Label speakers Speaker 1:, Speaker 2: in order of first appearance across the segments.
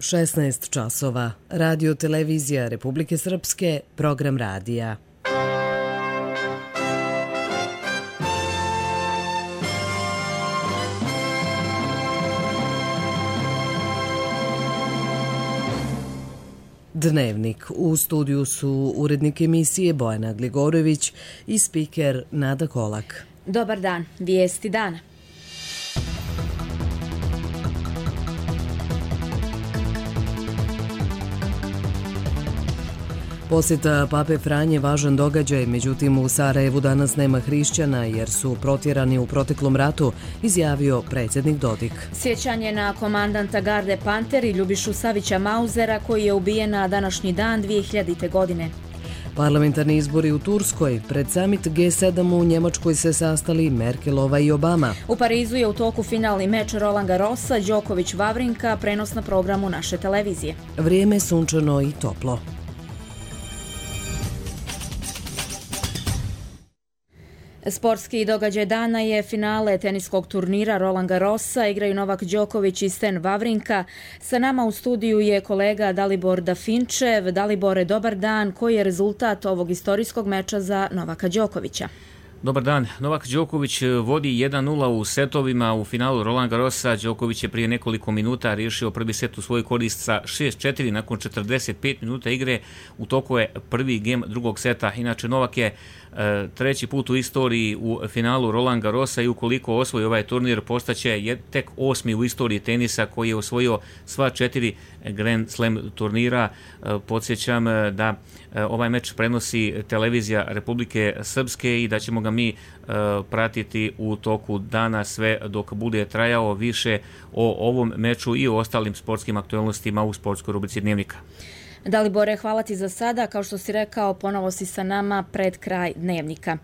Speaker 1: 16 časova. Radio televizija Republike Srpske, program radija. Dnevnik. U studiju su urednik emisije Bojana Gligorović i spiker Nada Kolak.
Speaker 2: Dobar dan. Vijesti dana.
Speaker 1: Posjeta Pape Franje važan događaj, međutim u Sarajevu danas nema hrišćana jer su protjerani u proteklom ratu, izjavio predsjednik Dodik.
Speaker 2: Sjećanje na komandanta garde Panter i Ljubišu Savića Mauzera koji je ubijen na današnji dan 2000. godine.
Speaker 1: Parlamentarni izbori u Turskoj. Pred summit G7 u Njemačkoj se sastali Merkelova i Obama.
Speaker 2: U Parizu je u toku finalni meč Roland Garrosa, Đoković Vavrinka, prenos na programu naše televizije.
Speaker 1: Vrijeme sunčano i toplo.
Speaker 2: Sportski događaj dana je finale teniskog turnira Roland Garrosa. Igraju Novak Đoković i Sten Vavrinka. Sa nama u studiju je kolega Dalibor Dafinčev. Dalibore, dobar dan. Koji je rezultat ovog istorijskog meča za Novaka Đokovića?
Speaker 3: Dobar dan. Novak Đoković vodi 1-0 u setovima u finalu Roland Garrosa. Đoković je prije nekoliko minuta riješio prvi set u svoj korist sa 6-4 nakon 45 minuta igre. U toku je prvi gem drugog seta. Inače, Novak je treći put u istoriji u finalu Roland Garrosa i ukoliko osvoji ovaj turnir postaće tek 8. u istoriji tenisa koji je osvojio sva 4 Grand Slam turnira. Podsjećam da ovaj meč prenosi televizija Republike Srpske i da ćemo ga mi pratiti u toku dana sve dok bude trajao. Više o ovom meču i o ostalim sportskim aktualnostima u sportskoj rubrici Dnevnika.
Speaker 2: Dalibore, hvala ti za sada. Kao što si rekao, ponovo si sa nama pred kraj Dnevnika.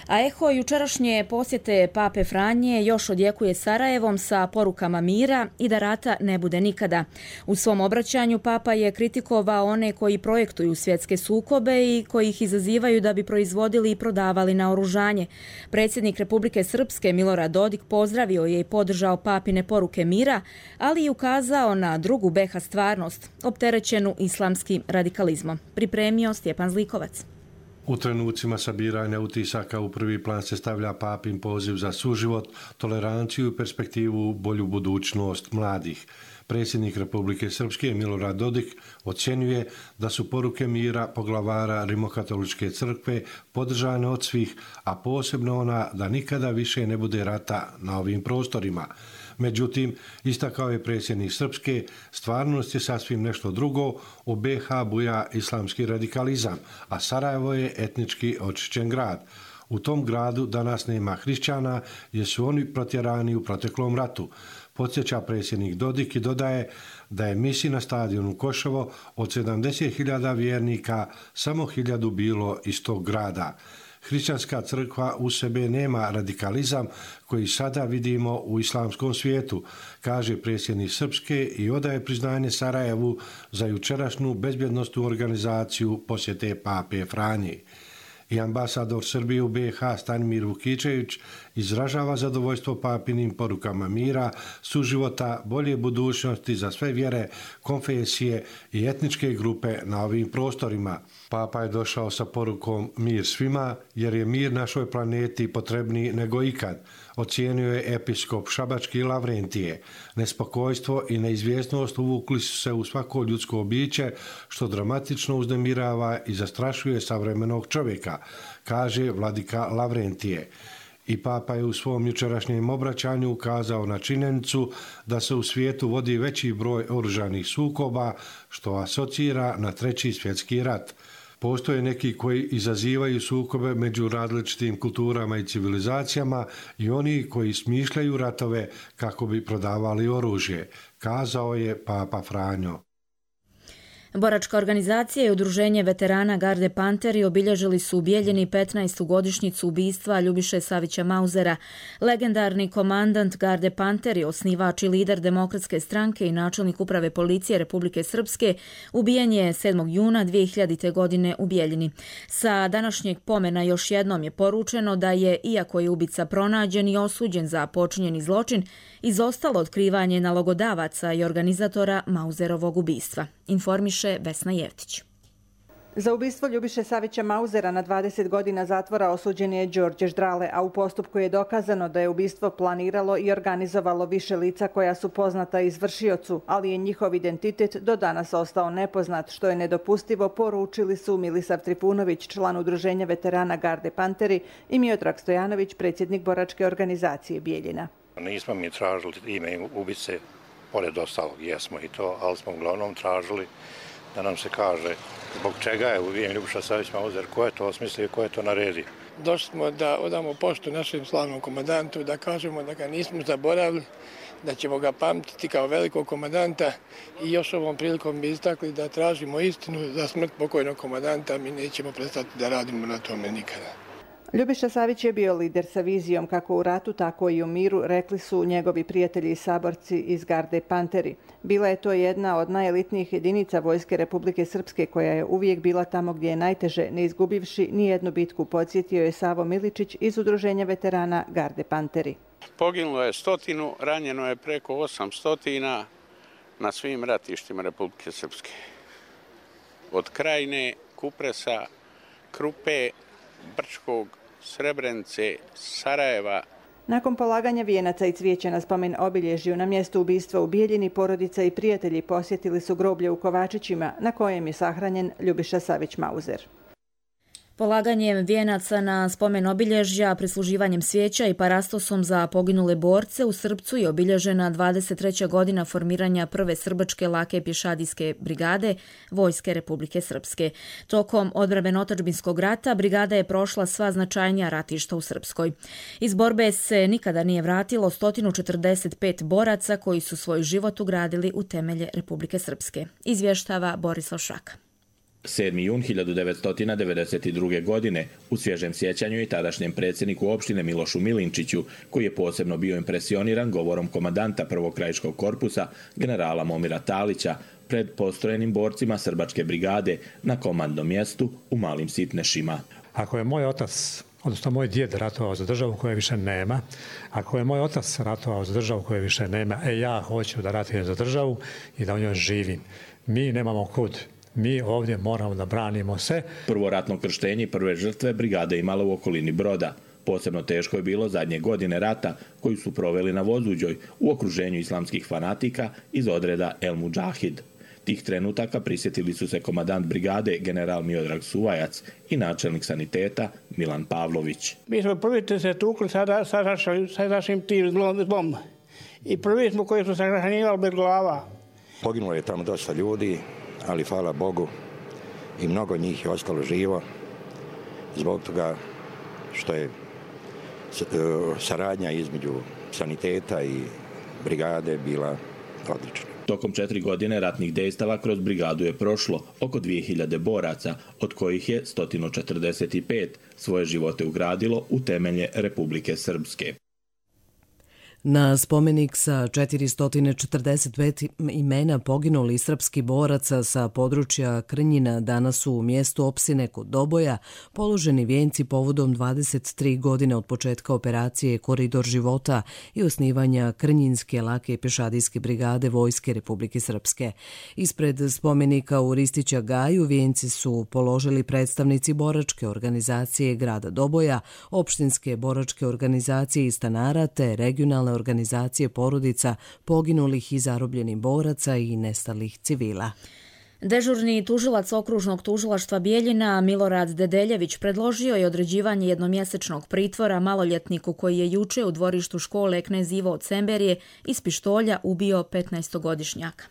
Speaker 2: A eho jučerašnje posjete Pape Franje još odjekuje Sarajevom sa porukama mira i da rata ne bude nikada. U svom obraćanju Papa je kritikovao one koji projektuju svjetske sukobe i koji ih izazivaju da bi proizvodili i prodavali naoružanje. Predsjednik Republike Srpske Milorad Dodik pozdravio je i podržao Papine poruke mira, ali i ukazao na drugu BiH stvarnost, opterećenu islamskim radikalizmom. Pripremio Stjepan Zlikovac.
Speaker 4: U trenucima sabiranja utisaka u prvi plan se stavlja Papin poziv za suživot, toleranciju i perspektivu bolju budućnost mladih. Predsjednik Republike Srpske Milorad Dodik ocjenjuje da su poruke mira poglavara Rimokatoličke crkve podržane od svih, a posebno ona da nikada više ne bude rata na ovim prostorima. Međutim, istakao je predsjednik Srpske, stvarnost je sasvim nešto drugo, u BiH buja islamski radikalizam, a Sarajevo je etnički očišćen grad. U tom gradu danas nema hrišćana jer su oni protjerani u proteklom ratu. Podsjeća predsjednik Dodik i dodaje da je misi na stadionu Koševo od 70.000 vjernika samo 1.000 bilo iz tog grada. Hrišćanska crkva u sebe nema radikalizam koji sada vidimo u islamskom svijetu, kaže predsjednik Srpske i odaje priznanje Sarajevu za jučerašnju bezbjednostnu organizaciju posjete Pape Franje. I ambasador Srbije u BiH Stanimir Vukičević izražava zadovoljstvo Papinim porukama mira, suživota, bolje budućnosti za sve vjere, konfesije i etničke grupe na ovim prostorima. Papa je došao sa porukom mir svima jer je mir našoj planeti potrebniji nego ikad, ocijenio je episkop Šabački Lavrentije. Nespokojstvo i neizvjesnost uvukli su se u svako ljudsko biće što dramatično uznemirava i zastrašuje savremenog čovjeka, kaže vladika Lavrentije. I Papa je u svom jučerašnjem obraćanju ukazao na činjenicu da se u svijetu vodi veći broj oružanih sukoba, što asocira na Treći svjetski rat. Postoje neki koji izazivaju sukobe među različitim kulturama i civilizacijama i oni koji smišljaju ratove kako bi prodavali oružje, kazao je Papa Franjo.
Speaker 2: Boračka organizacija i udruženje veterana Garde Panteri obilježili su u Bijeljini 15. godišnjicu ubistva Ljubiše Savića Mauzera. Legendarni komandant Garde Panteri, osnivač i lider Demokratske stranke i načelnik uprave policije Republike Srpske, ubijen je 7. juna 2000. godine u Bijeljini. Sa današnjeg pomena još jednom je poručeno da je, iako je ubica pronađen i osuđen za počinjeni zločin, izostalo otkrivanje nalogodavaca i organizatora Mauzerovog ubistva. Informiše Vesna Jevtić.
Speaker 5: Za ubistvo Ljubiše Savića Mauzera na 20 godina zatvora osuđen je Đorđe Ždrale, a u postupku je dokazano da je ubistvo planiralo i organizovalo više lica koja su poznata izvršiocu, ali je njihov identitet do danas ostao nepoznat, što je nedopustivo, poručili su Milisav Trifunović, član udruženja veterana Garde Panteri, i Miodrag Stojanović, predsjednik boračke organizacije Bijeljina.
Speaker 6: Nismo mi tražili ime ubice, pored ostalog jesmo i to, ali smo uglavnom tražili da nam se kaže zbog čega je ubijen Ljubiša Savić Mauzer, ko je to osmislio i ko je to naredio.
Speaker 7: Došli smo da odamo poštu našem slavnom komandantu, da kažemo da ga nismo zaboravili, da ćemo ga pamtiti kao velikog komandanta i još ovom prilikom bi istakli da tražimo istinu za smrt pokojnog komandanta, mi nećemo prestati da radimo na tome nikada.
Speaker 5: Ljubiša Savić je bio lider sa vizijom kako u ratu, tako i u miru, rekli su njegovi prijatelji i saborci iz Garde Panteri. Bila je to jedna od najelitnijih jedinica Vojske Republike Srpske koja je uvijek bila tamo gdje je najteže, ne izgubivši ni jednu bitku, podsjetio je Savo Miličić iz udruženja veterana Garde Panteri.
Speaker 8: Poginulo je 100, ranjeno je preko 800 na svim ratištima Republike Srpske. Od Krajine, Kupresa, Krupe, Brčkog, Srebrenice, Sarajeva.
Speaker 5: Nakon polaganja vijenaca i cvijeća na spomen obilježju na mjestu ubistva u Bijeljini, porodica i prijatelji posjetili su groblje u Kovačićima na kojem je sahranjen Ljubiša Savić Mauzer.
Speaker 2: Polaganjem vijenaca na spomen obilježja, prisluživanjem svijeća i parastosom za poginule borce u Srpcu je obilježena 23. godina formiranja prve srbačke lake pješadijske brigade Vojske Republike Srpske. Tokom odbrambeno-otadžbinskog rata brigada je prošla sva značajnija ratišta u Srpskoj. Iz borbe se nikada nije vratilo 145 boraca koji su svoj život ugradili u temelje Republike Srpske. Izvještava Borislav Šaka.
Speaker 9: 7. jun 1992. godine u svježem sjećanju i tadašnjem predsjedniku opštine Milošu Milinčiću, koji je posebno bio impresioniran govorom komandanta prvog krajiškog korpusa, generala Momira Talića, pred postrojenim borcima Srbačke brigade na komandnom mjestu u Malim Sitnešima.
Speaker 10: Ako je moj otac, odnosno moj djed ratovao za državu koje više nema, ako je moj otac ratovao za državu koje više nema, ja hoću da ratujem za državu i da u njoj živim. Mi nemamo kud. Mi ovdje moramo da branimo se.
Speaker 9: Prvo ratno krštenje i prve žrtve brigade imala u okolini Broda. Posebno teško je bilo zadnje godine rata koju su proveli na Vozuđoj u okruženju islamskih fanatika iz odreda El Mudžahid. Tih trenutaka prisjetili su se komandant brigade general Miodrag Suvajac i načelnik saniteta Milan Pavlović.
Speaker 7: Mi smo prvi se tukli sa našim tim zlom i prvi smo koji su se hranjivali bez glava.
Speaker 6: Poginulo je tamo dosta ljudi, ali hvala Bogu i mnogo njih je ostalo živo zbog toga što je saradnja između saniteta i brigade bila odlična.
Speaker 9: Tokom 4 godine ratnih dejstava kroz brigadu je prošlo oko 2000 boraca, od kojih je 145 svoje živote ugradilo u temelje Republike Srpske.
Speaker 1: Na spomenik sa 445 imena poginulih srpskih boraca sa područja Krnjina danas su u mjestu Opsine kod Doboja položeni vijenci povodom 23 godine od početka operacije Koridor života i osnivanja Krnjinske lake pješadijske brigade Vojske Republike Srpske. Ispred spomenika u Ristića Gaju vijenci su položili predstavnici boračke organizacije grada Doboja, opštinske boračke organizacije i stanara te regionalne organizacije porodica poginulih i zarobljenih boraca i nestalih civila.
Speaker 2: Dežurni tužilac okružnog tužilaštva Bijeljina Milorad Dedeljević predložio je određivanje jednomjesečnog pritvora maloljetniku koji je juče u dvorištu škole Knez Ivo od Semberije iz pištolja ubio 15-godišnjaka.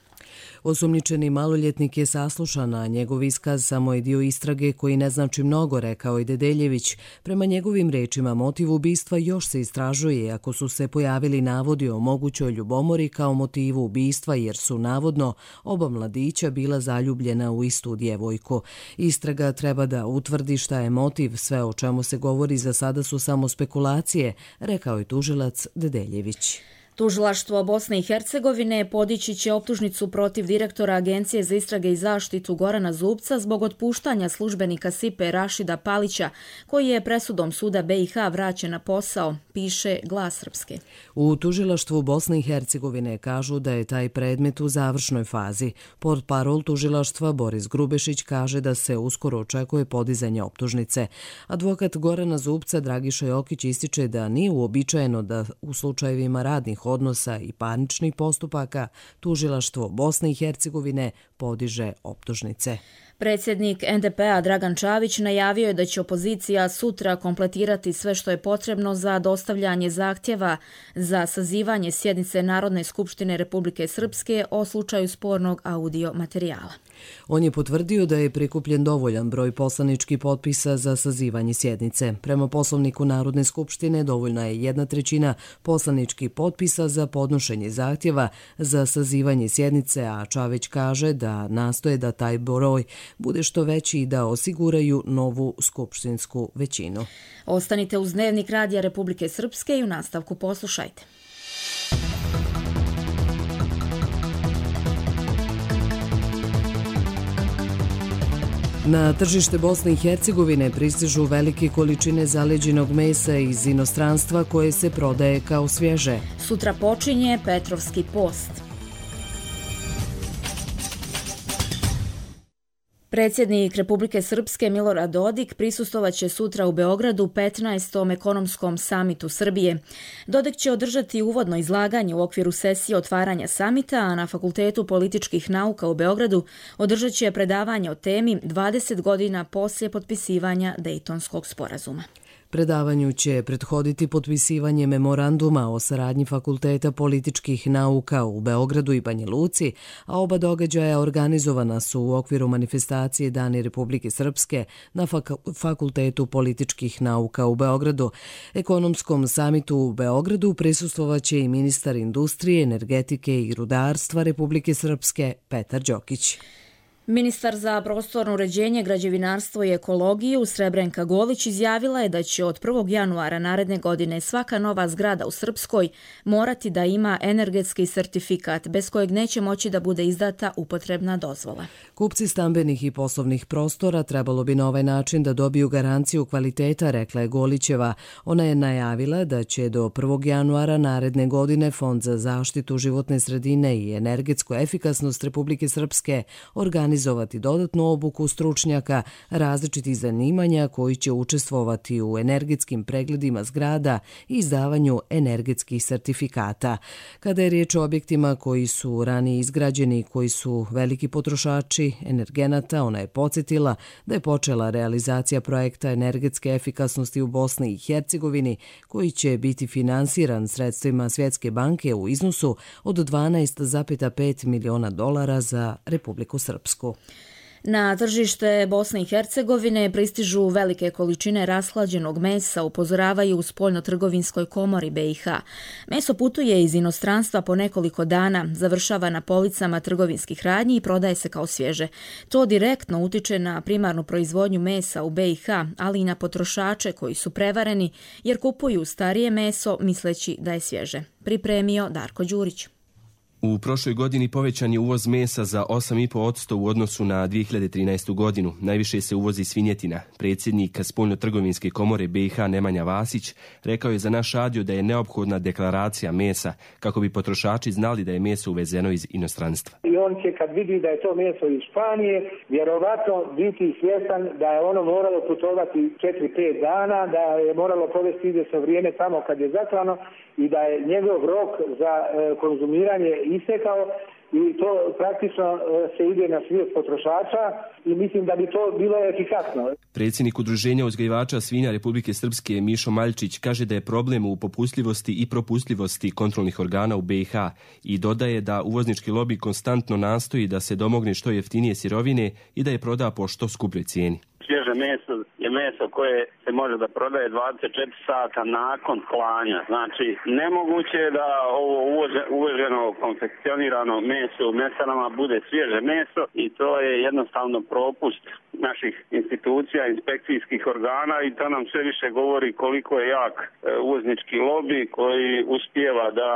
Speaker 1: Osumnjičeni maloljetnik je saslušan, a njegov iskaz samo je dio istrage koji ne znači mnogo, rekao je Dedeljević. Prema njegovim rečima, motiv ubistva još se istražuje, ako su se pojavili navodi o mogućoj ljubomori kao motivu ubistva, jer su navodno oba mladića bila zaljubljena u istu djevojku. Istraga treba da utvrdi šta je motiv, sve o čemu se govori za sada su samo spekulacije, rekao je tužilac Dedeljević.
Speaker 2: Tužilaštvo Bosne i Hercegovine podići će optužnicu protiv direktora Agencije za istrage i zaštitu Gorana Zubca zbog otpuštanja službenika SIPE Rašida Palića, koji je presudom suda BiH vraćen na posao, piše Glas Srpske.
Speaker 1: U tužilaštvu Bosne i Hercegovine kažu da je taj predmet u završnoj fazi. Portparol tužilaštva Boris Grubešić kaže da se uskoro očekuje podizanje optužnice. Advokat Gorana Zubca Dragiša Jokić ističe da nije uobičajeno da u slučajevima radnih odnosa i parničnih postupaka tužilaštvo Bosne i Hercegovine podiže optužnice.
Speaker 2: Predsjednik NDP-a Dragan Čavić najavio je da će opozicija sutra kompletirati sve što je potrebno za dostavljanje zahtjeva za sazivanje sjednice Narodne skupštine Republike Srpske o slučaju spornog audio materijala.
Speaker 1: On je potvrdio da je prikupljen dovoljan broj poslaničkih potpisa za sazivanje sjednice. Prema poslovniku Narodne skupštine dovoljna je 1/3 poslaničkih potpisa za podnošenje zahtjeva za sazivanje sjednice, a Čavić kaže da nastoje da taj broj bude što veći i da osiguraju novu skupštinsku većinu.
Speaker 2: Ostanite uz Dnevnik Radija Republike Srpske i u nastavku poslušajte.
Speaker 1: Na tržište Bosne i Hercegovine pristižu velike količine zaleđenog mesa iz inostranstva koje se prodaje kao svježe.
Speaker 2: Sutra počinje Petrovski post. Predsjednik Republike Srpske Milorad Dodik prisustvovaće sutra u Beogradu 15. ekonomskom samitu Srbije. Dodik će održati uvodno izlaganje u okviru sesije otvaranja samita, a na Fakultetu političkih nauka u Beogradu održat će predavanje o temi 20 godina poslije potpisivanja Dejtonskog sporazuma.
Speaker 1: Predavanju će prethoditi potpisivanje memoranduma o saradnji Fakulteta političkih nauka u Beogradu i Banja Luci, a oba događaja organizovana su u okviru manifestacije Dani Republike Srpske na Fakultetu političkih nauka u Beogradu. Ekonomskom samitu u Beogradu prisustvovaće i ministar industrije, energetike i rudarstva Republike Srpske Petar Đokić.
Speaker 2: Ministar za prostorno uređenje, građevinarstvo i ekologiju Srebrenka Golić izjavila je da će od 1. januara naredne godine svaka nova zgrada u Srpskoj morati da ima energetski sertifikat, bez kojeg neće moći da bude izdata upotrebna dozvola.
Speaker 1: Kupci stambenih i poslovnih prostora trebalo bi na ovaj način da dobiju garanciju kvaliteta, rekla je Golićeva. Ona je najavila da će do 1. januara naredne godine Fond za zaštitu životne sredine i energetsku efikasnost Republike Srpske organizovati dodatnu obuku stručnjaka različitih zanimanja koji će učestvovati u energetskim pregledima zgrada i izdavanju energetskih sertifikata. Kada je riječ o objektima koji su ranije izgrađeni i koji su veliki potrošači energenata, ona je podsjetila da je počela realizacija projekta energetske efikasnosti u Bosni i Hercegovini koji će biti finansiran sredstvima Svjetske banke u iznosu od $12,5 miliona za Republiku Srpsku.
Speaker 2: Na tržište Bosne i Hercegovine pristižu velike količine rashlađenog mesa, upozoravaju u Spoljno-trgovinskoj komori BiH. Meso putuje iz inostranstva po nekoliko dana, završava na policama trgovinskih radnji i prodaje se kao svježe. To direktno utiče na primarnu proizvodnju mesa u BiH, ali i na potrošače koji su prevareni jer kupuju starije meso misleći da je svježe. Pripremio Darko Đurić.
Speaker 11: U prošloj godini povećan je uvoz mesa za 8,5% u odnosu na 2013. godinu. Najviše se uvozi svinjetina. Predsjednik Spoljno-trgovinske komore BiH Nemanja Vasić rekao je za naš radio da je neophodna deklaracija mesa kako bi potrošači znali da je meso uvezeno iz inostranstva.
Speaker 12: I on će kad vidi da je to meso iz Španije, vjerovatno biti svjestan da je ono moralo putovati 4-5 dana, da je moralo provesti izvjesno vrijeme tamo kad je zaklano i da je njegov rok za konzumiranje istekao i to praktično se ide na svijest potrošača i mislim da bi to bilo efikasno.
Speaker 11: Predsjednik Udruženja uzgajivača svinja Republike Srpske Mišo Maljčić kaže da je problem u popustljivosti i propustljivosti kontrolnih organa u BiH i dodaje da uvoznički lobi konstantno nastoji da se domogne što jeftinije sirovine i da je proda po što skupljoj cijeni.
Speaker 13: Svježe meso je meso koje se može da prodaje 24 sata nakon klanja. Znači, nemoguće je da ovo uveženo konfekcionirano meso u mesarama bude svježe meso i to je jednostavno propust naših institucija, inspekcijskih organa i to nam sve više govori koliko je jak uvoznički lobi koji uspijeva da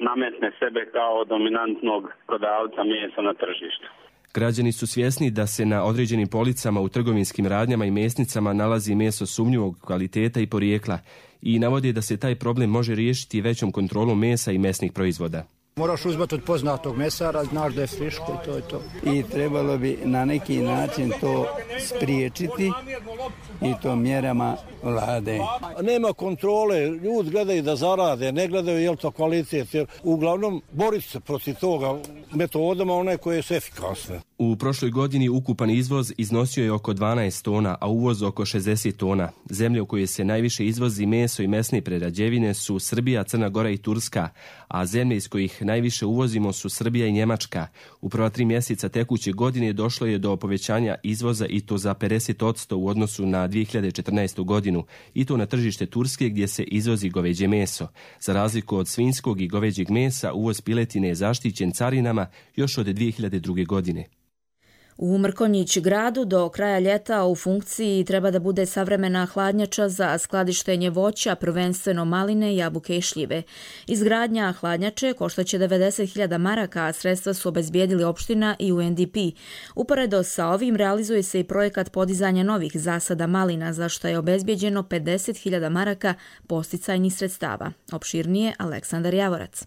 Speaker 13: nametne sebe kao dominantnog prodavca mesa na tržištu.
Speaker 11: Građani su svjesni da se na određenim policama u trgovinskim radnjama i mesnicama nalazi meso sumnjivog kvaliteta i porijekla i navode da se taj problem može riješiti većom kontrolom mesa i mesnih proizvoda.
Speaker 14: Moraš uzmati od poznatog mesara, znaš da je friško i to je to.
Speaker 15: I trebalo bi na neki način to spriječiti i to mjerama vlade.
Speaker 16: Nema kontrole, ljudi gledaju da zarade, ne gledaju je li to kvalitet. Uglavnom, boriti se protiv toga metodama one koje su efikasne.
Speaker 11: U prošloj godini ukupan izvoz iznosio je oko 12 tona, a uvoz oko 60 tona. Zemlje u koje se najviše izvozi meso i mesne prerađevine su Srbija, Crna Gora i Turska, a zemlje iz kojih najviše uvozimo su Srbija i Njemačka. U prva 3 mjeseca tekuće godine došlo je do povećanja izvoza i to za 50% u odnosu na 2014. godinu, i to na tržište Turske gdje se izvozi goveđe meso. Za razliku od svinjskog i goveđeg mesa, uvoz piletine je zaštićen carinama još od 2002. godine.
Speaker 2: U Mrkonjić gradu do kraja ljeta u funkciji treba da bude savremena hladnjača za skladištenje voća, prvenstveno maline, jabuke i šljive. Izgradnja hladnjače koštaće 90.000 maraka, a sredstva su obezbijedili opština i UNDP. Uporedo sa ovim realizuje se i projekat podizanja novih zasada malina, za što je obezbijeđeno 50.000 maraka posticajnih sredstava. Opširnije Aleksandar Javorac.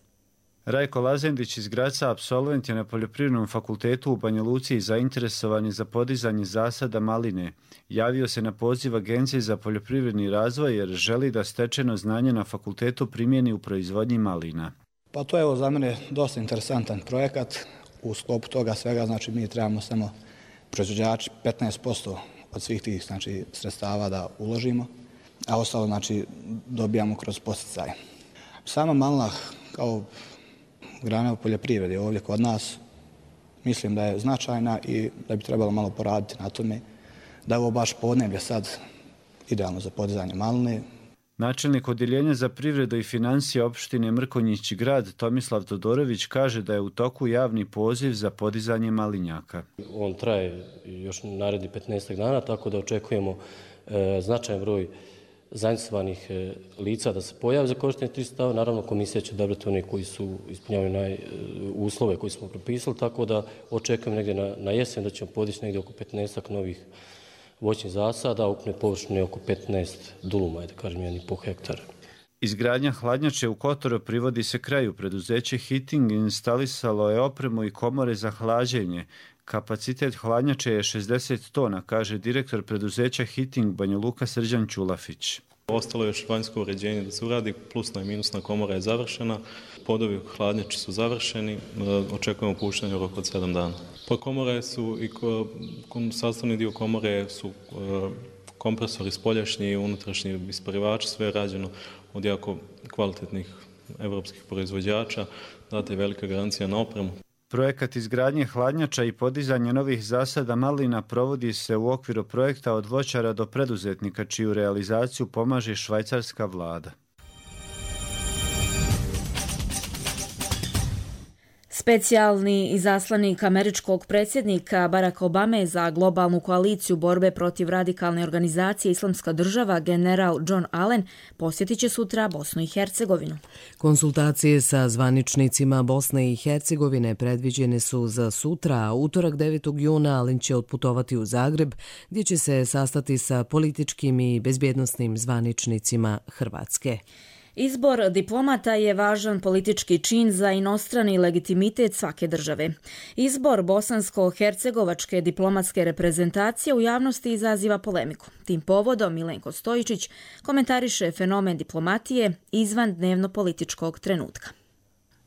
Speaker 17: Rajko Lazendić iz Graca, apsolvent je na Poljoprivrednom fakultetu u Banja Luci i zainteresovan za podizanje zasada maline. Javio se na poziv Agencije za poljoprivredni razvoj jer želi da stečeno znanje na fakultetu primjeni u proizvodnji malina.
Speaker 14: Pa to je za mene dosta interesantan projekat. U sklopu toga svega, znači mi trebamo samo proizvođači 15% od svih tih sredstava da uložimo, a ostalo dobijamo kroz posticaje. Sama malina kao grana u poljoprivredi ovdje kod nas mislim da je značajna i da bi trebalo malo poraditi na tome da je ovo baš podneblje sad idealno za podizanje maline.
Speaker 17: Načelnik odjeljenja za privredu i financije opštine Mrkonjić grad Tomislav Todorović kaže da je u toku javni poziv za podizanje malinjaka.
Speaker 18: On traje još naredni 15 dana, tako da očekujemo značajan broj zainteresovanih lica da se pojave za korištenje tih sredstava. Naravno, komisija će odabrati one koji su ispunjavaju uslove koje smo propisali, tako da očekujem negdje na jesen da ćemo podići negdje oko 15 novih voćnih zasada, ukupne površine oko 15 duluma, da kažem, 1,5 hektara.
Speaker 17: Izgradnja hladnjače u Kotoru privodi se kraju. Preduzeće Heating instalisalo je opremu i komore za hlađenje. Kapacitet hladnjače je 60 tona, kaže direktor preduzeća Heating Banja Luka Srđan Ćulafić.
Speaker 19: Ostalo je još vanjsko uređenje da se uradi, plusna i minusna komora je završena, podovi hladnjače su završeni, očekujemo puštanje u roku od 7 dana. Pa komore su i sastavni dio komore su kompresori spoljašnji i unutrašnji isparivači, sve je rađeno od jako kvalitetnih evropskih proizvođača, data je velika garancija na opremu.
Speaker 17: Projekat izgradnje hladnjača i podizanje novih zasada malina provodi se u okviru projekta od voćara do preduzetnika, čiju realizaciju pomaže švajcarska vlada.
Speaker 2: Specijalni izaslanik američkog predsjednika Baracka Obame za globalnu koaliciju borbe protiv radikalne organizacije Islamska država, general John Allen, posjetit će sutra Bosnu i Hercegovinu.
Speaker 1: Konsultacije sa zvaničnicima Bosne i Hercegovine predviđene su za sutra, a utorak 9. juna Allen će otputovati u Zagreb, gdje će se sastati sa političkim i bezbjednosnim zvaničnicima Hrvatske.
Speaker 2: Izbor diplomata je važan politički čin za inostrani legitimitet svake države. Izbor bosansko-hercegovačke diplomatske reprezentacije u javnosti izaziva polemiku. Tim povodom Milenko Stojičić komentariše fenomen diplomatije izvan dnevno političkog trenutka.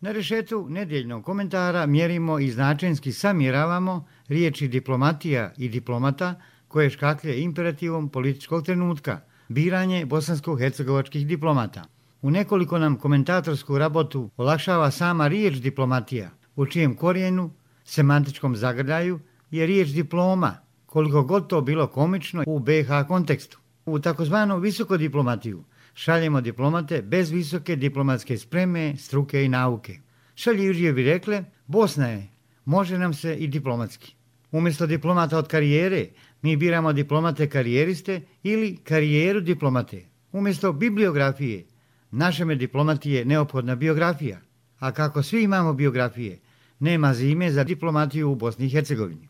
Speaker 20: Na rešetu nedjeljnog komentara mjerimo i značenski samjeravamo riječi diplomatija i diplomata koje škaklje imperativom političkog trenutka, biranje bosansko-hercegovačkih diplomata. U nekoliko nam komentatorsku rabotu olakšava sama riječ diplomatija, u čijem korijenu, semantičkom zagrljaju, je riječ diploma, koliko god to bilo komično u BiH kontekstu. U takozvanu visokodiplomatiju šaljemo diplomate bez visoke diplomatske spreme, struke i nauke. Šaljivrije bi rekle, Bosna je, može nam se i diplomatski. Umjesto diplomata od karijere, mi biramo diplomate karijeriste ili karijeru diplomate. Umjesto bibliografije, našeme diplomati je neophodna biografija. A kako svi imamo biografije, nema zime za diplomatiju u Bosni i Hercegovini.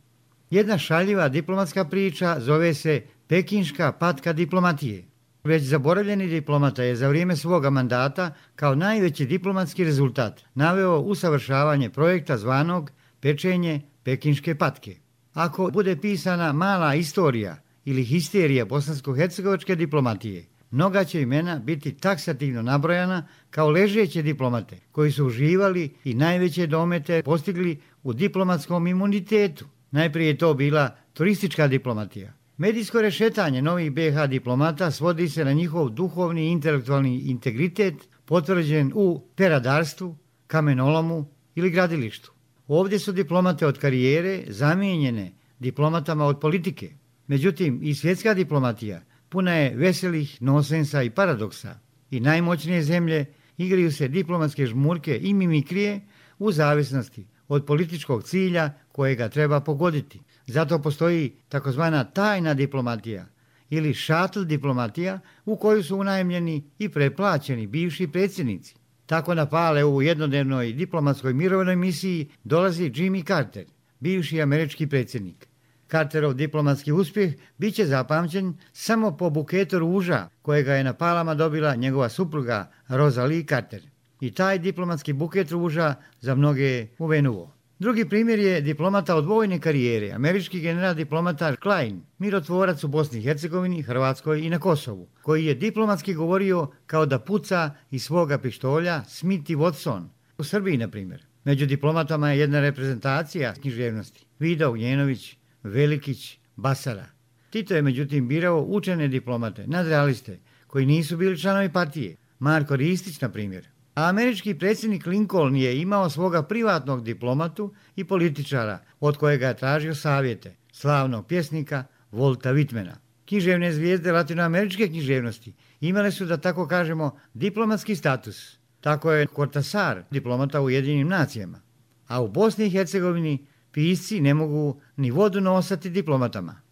Speaker 20: Jedna šaljiva diplomatska priča zove se pekinška patka diplomatije. Već zaboravljeni diplomata je za vrijeme svoga mandata kao najveći diplomatski rezultat naveo usavršavanje projekta zvanog pečenje pekinške patke. Ako bude pisana mala istorija ili histerija bosansko-hercegovačke diplomatije, mnoga će imena biti taksativno nabrojana kao ležeće diplomate koji su uživali i najveće domete postigli u diplomatskom imunitetu. Najprije je to bila turistička diplomatija. Medijsko rešetanje novih BiH diplomata svodi se na njihov duhovni i intelektualni integritet potvrđen u peradarstvu, kamenolomu ili gradilištu. Ovdje su diplomate od karijere zamijenjene diplomatama od politike. Međutim, i svjetska diplomatija puna je veselih nosensa i paradoksa. I najmoćnije zemlje igraju se diplomatske žmurke i mimikrije u zavisnosti od političkog cilja kojega treba pogoditi. Zato postoji takozvana tajna diplomatija ili shuttle diplomatija u koju su unajmljeni i preplaćeni bivši predsjednici. Tako na Pale u jednodnevnoj diplomatskoj mirovnoj misiji dolazi Jimmy Carter, bivši američki predsjednik. Carterov diplomatski uspjeh bit će zapamćen samo po buketu ruža kojega je na Palama dobila njegova supruga Rosalie Carter. I taj diplomatski buket ruža za mnoge je uvenuo. Drugi primjer je diplomata od vojne karijere, američki general diplomata Klein, mirotvorac u Bosni i Hercegovini, Hrvatskoj i na Kosovu, koji je diplomatski govorio kao da puca iz svoga pištolja Smith i Watson, u Srbiji na primjer. Među diplomatama je jedna reprezentacija književnosti, Vida Uljenović, Velikić, Basara. Tito je međutim birao učene diplomate, nadrealiste, koji nisu bili članovi partije, Marko Ristić na primjer. A američki predsjednik Lincoln je imao svoga privatnog diplomatu i političara od kojega je tražio savjete, slavnog pjesnika Volta Whitmana. Književne zvijezde latinoameričke književnosti imale su, da tako kažemo, diplomatski status. Tako je Cortázar diplomata u Ujedinjenim nacijama. A u Bosni i Hercegovini pisci ne mogu ni vodu nosati diplomatama.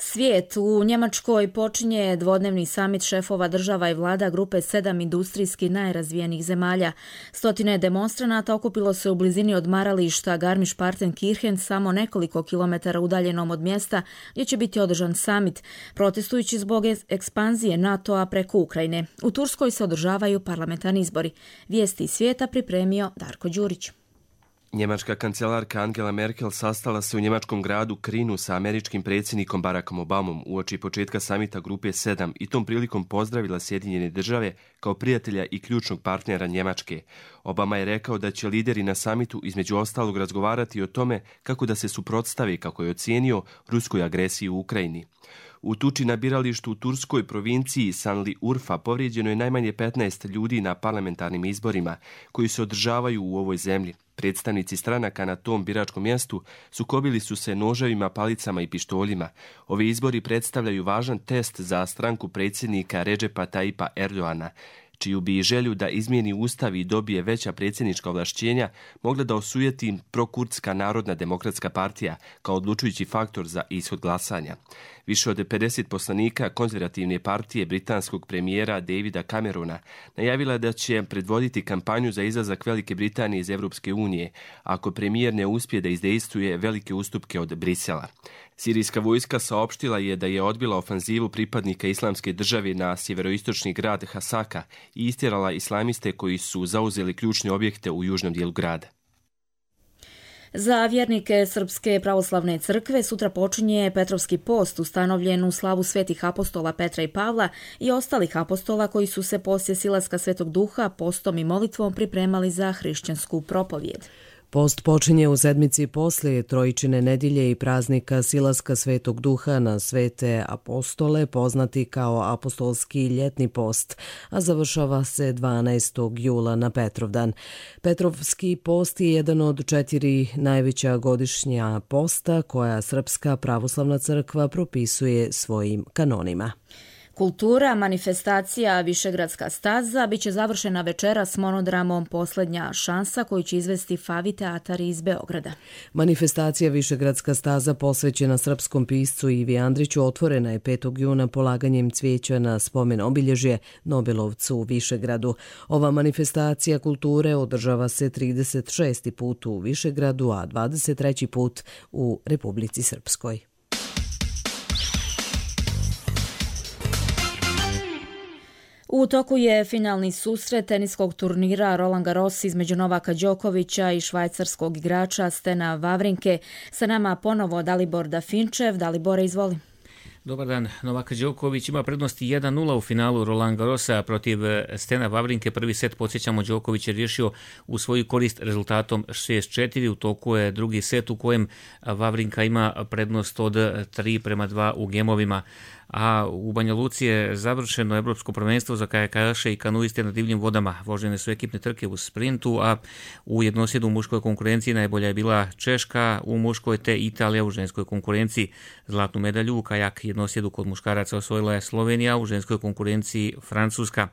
Speaker 2: Svijet. U Njemačkoj počinje dvodnevni samit šefova država i vlada grupe 7 industrijski najrazvijenijih zemalja. Stotine demonstranata okupilo se u blizini odmarališta Garmisch-Partenkirchen, samo nekoliko kilometara udaljenom od mjesta gdje će biti održan samit, protestujući zbog ekspanzije NATO-a preko Ukrajine. U Turskoj se održavaju parlamentarni izbori. Vijesti iz svijeta pripremio Darko Đurić.
Speaker 11: Njemačka kancelarka Angela Merkel sastala se u njemačkom gradu Krinu sa američkim predsjednikom Barackom Obamom uoči početka samita grupe 7 i tom prilikom pozdravila Sjedinjene države kao prijatelja i ključnog partnera Njemačke. Obama je rekao da će lideri na samitu između ostalog razgovarati o tome kako da se suprotstave, kako je ocijenio, ruskoj agresiji u Ukrajini. U tuči na biralištu u turskoj provinciji Sanli Urfa povrijeđeno je najmanje 15 ljudi na parlamentarnim izborima koji se održavaju u ovoj zemlji. Predstavnici stranaka na tom biračkom mjestu sukobili su se noževima, palicama i pištoljima. Ovi izbori predstavljaju važan test za stranku predsjednika Redžepa Tayyipa Erdoana, čiju bi želju da izmijeni ustav i dobije veća predsjednička ovlašćenja mogla da osujeti prokurdska Narodna demokratska partija kao odlučujući faktor za ishod glasanja. Više od 50 poslanika konzervativne partije britanskog premijera Davida Camerona najavila da će predvoditi kampanju za izlazak Velike Britanije iz Europske unije ako premijer ne uspije da izdejstvuje velike ustupke od Brisela. Sirijska vojska saopštila je da je odbila ofanzivu pripadnika Islamske države na sjeveroistočni grad Hasaka i istjerala islamiste koji su zauzeli ključne objekte u južnom dijelu grada.
Speaker 2: Za vjernike Srpske pravoslavne crkve sutra počinje Petrovski post ustanovljen u slavu svetih apostola Petra i Pavla i ostalih apostola koji su se poslije silaska Svetog Duha postom i molitvom pripremali za hrišćansku propovijed.
Speaker 1: Post počinje u sedmici poslije Trojičine nedjelje i praznika silaska Svetog Duha na svete apostole, poznati kao apostolski ljetni post, a završava se 12. jula na Petrovdan. Petrovski post je jedan od 4 najveća godišnja posta koja Srpska pravoslavna crkva propisuje svojim kanonima.
Speaker 2: Kultura, manifestacija Višegradska staza biće završena večera s monodramom Posljednja šansa koju će izvesti Favi teatar iz Beograda.
Speaker 1: Manifestacija Višegradska staza posvećena srpskom piscu Ivi Andriću otvorena je 5. juna polaganjem cvijeća na spomen obilježje Nobelovcu u Višegradu. Ova manifestacija kulture održava se 36. put u Višegradu, a 23. put u Republici Srpskoj.
Speaker 2: U toku je finalni susret teniskog turnira Roland Garros između Novaka Đokovića i švajcarskog igrača Stena Wawrinke. Sa nama ponovo Dalibor Dafinčev. Dalibore, izvoli.
Speaker 3: Dobar dan. Novak Đoković ima prednosti 1-0 u finalu Roland Garrosa protiv Stena Wawrinke. Prvi set, podsjećamo, Đoković je riješio u svoju korist rezultatom 6-4. U toku je drugi set u kojem Wawrinka ima prednost od 3-2 u gemovima. A u Banja Luci je završeno evropsko prvenstvo za kajakaše i kanuiste na divljim vodama. Vožene su ekipne trke u sprintu, a u jednosjedu u muškoj konkurenciji najbolja je bila Češka u muškoj te Italija u ženskoj konkurenciji. Zlatnu medalju u kajak jednosjedu kod muškaraca osvojila je Slovenija, u ženskoj konkurenciji Francuska.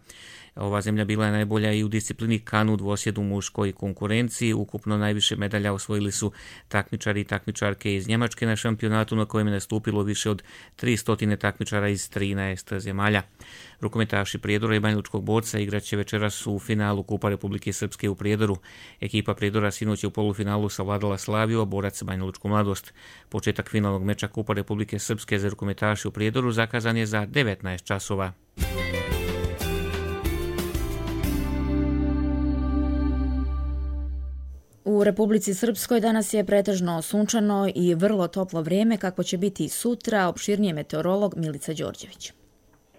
Speaker 3: Ova zemlja bila je najbolja i u disciplini kanu dvosjedu u muškoj konkurenciji. Ukupno najviše medalja osvojili su takmičari i takmičarke iz Njemačke na šampionatu na kojem je nastupilo više od 300 takmičara iz 13 zemalja. Rukometaši Prijedora i Banjalučkog borca igraće večeras u finalu Kupa Republike Srpske u Prijedoru. Ekipa Prijedora sinoć je u polufinalu savladala Slaviju, a borac Banjalučku Mladost. Početak finalnog meča Kupa Republike Srpske za rukometaši u Prijedoru zakazan je za 19 časova.
Speaker 2: U Republici Srpskoj danas je pretežno sunčano i vrlo toplo vrijeme, kako će biti i sutra, opširnije meteorolog Milica Đorđević.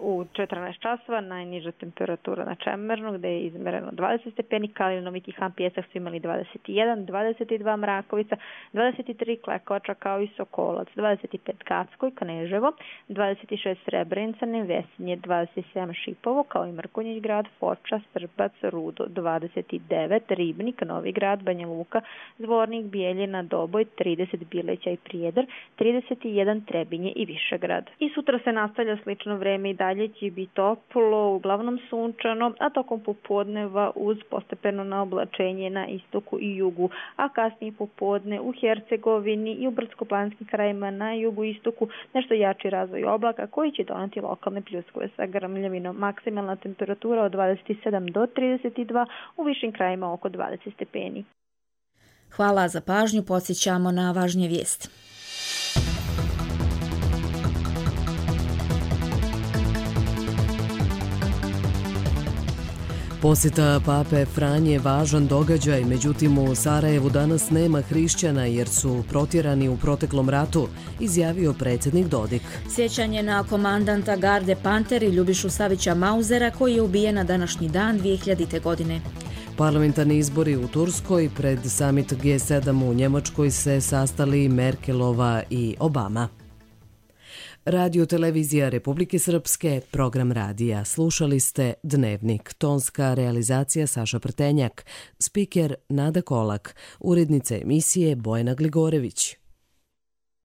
Speaker 21: U 14 časova najniža temperatura na Čemernu, gde je izmereno 20 stepeni, Kalin, Viki Han, Pjesak su imali 21, 22 Mrakovica, 23 Klekoča kao i Sokolac, 25 Gacko i Kneževo, 26 Srebrenica, Nevesinje, 27 Šipovo kao i Mrkonjić grad, Foča, Strbac, Rudo, 29 Ribnik, Novi grad, Banja Luka, Zvornik, Bijeljina, Doboj, 30 Bileća i Prijedor, 31 Trebinje i Višegrad. I sutra se nastavlja slično vreme i dalje će biti toplo, uglavnom sunčano, a tokom popodneva uz postepeno naoblačenje na istoku i jugu, a kasnije popodne u Hercegovini i u brdsko-planinskim krajima na jugu i istoku nešto jači razvoj oblaka koji će doneti lokalne pljuskove sa grmljavinom. Maksimalna temperatura od 27 do 32, u višim krajima oko 20 stepeni.
Speaker 2: Hvala za pažnju, podsjećamo na važnije vijesti.
Speaker 1: Posjeta pape Franje je važan događaj, međutim u Sarajevu danas nema hrišćana jer su protjerani u proteklom ratu, izjavio predsjednik Dodik.
Speaker 2: Sjećanje na komandanta garde Panter i Ljubišu Savića Mauzera koji je ubijen na današnji dan 2000. godine.
Speaker 1: Parlamentarni izbori u Turskoj, pred summit G7 u Njemačkoj se sastali Merkelova i Obama. Radio televizija Republike Srpske, program radija. Slušali ste Dnevnik, tonska realizacija Saša Prtenjak, spiker Nada Kolak, urednica emisije Bojana Gligorević.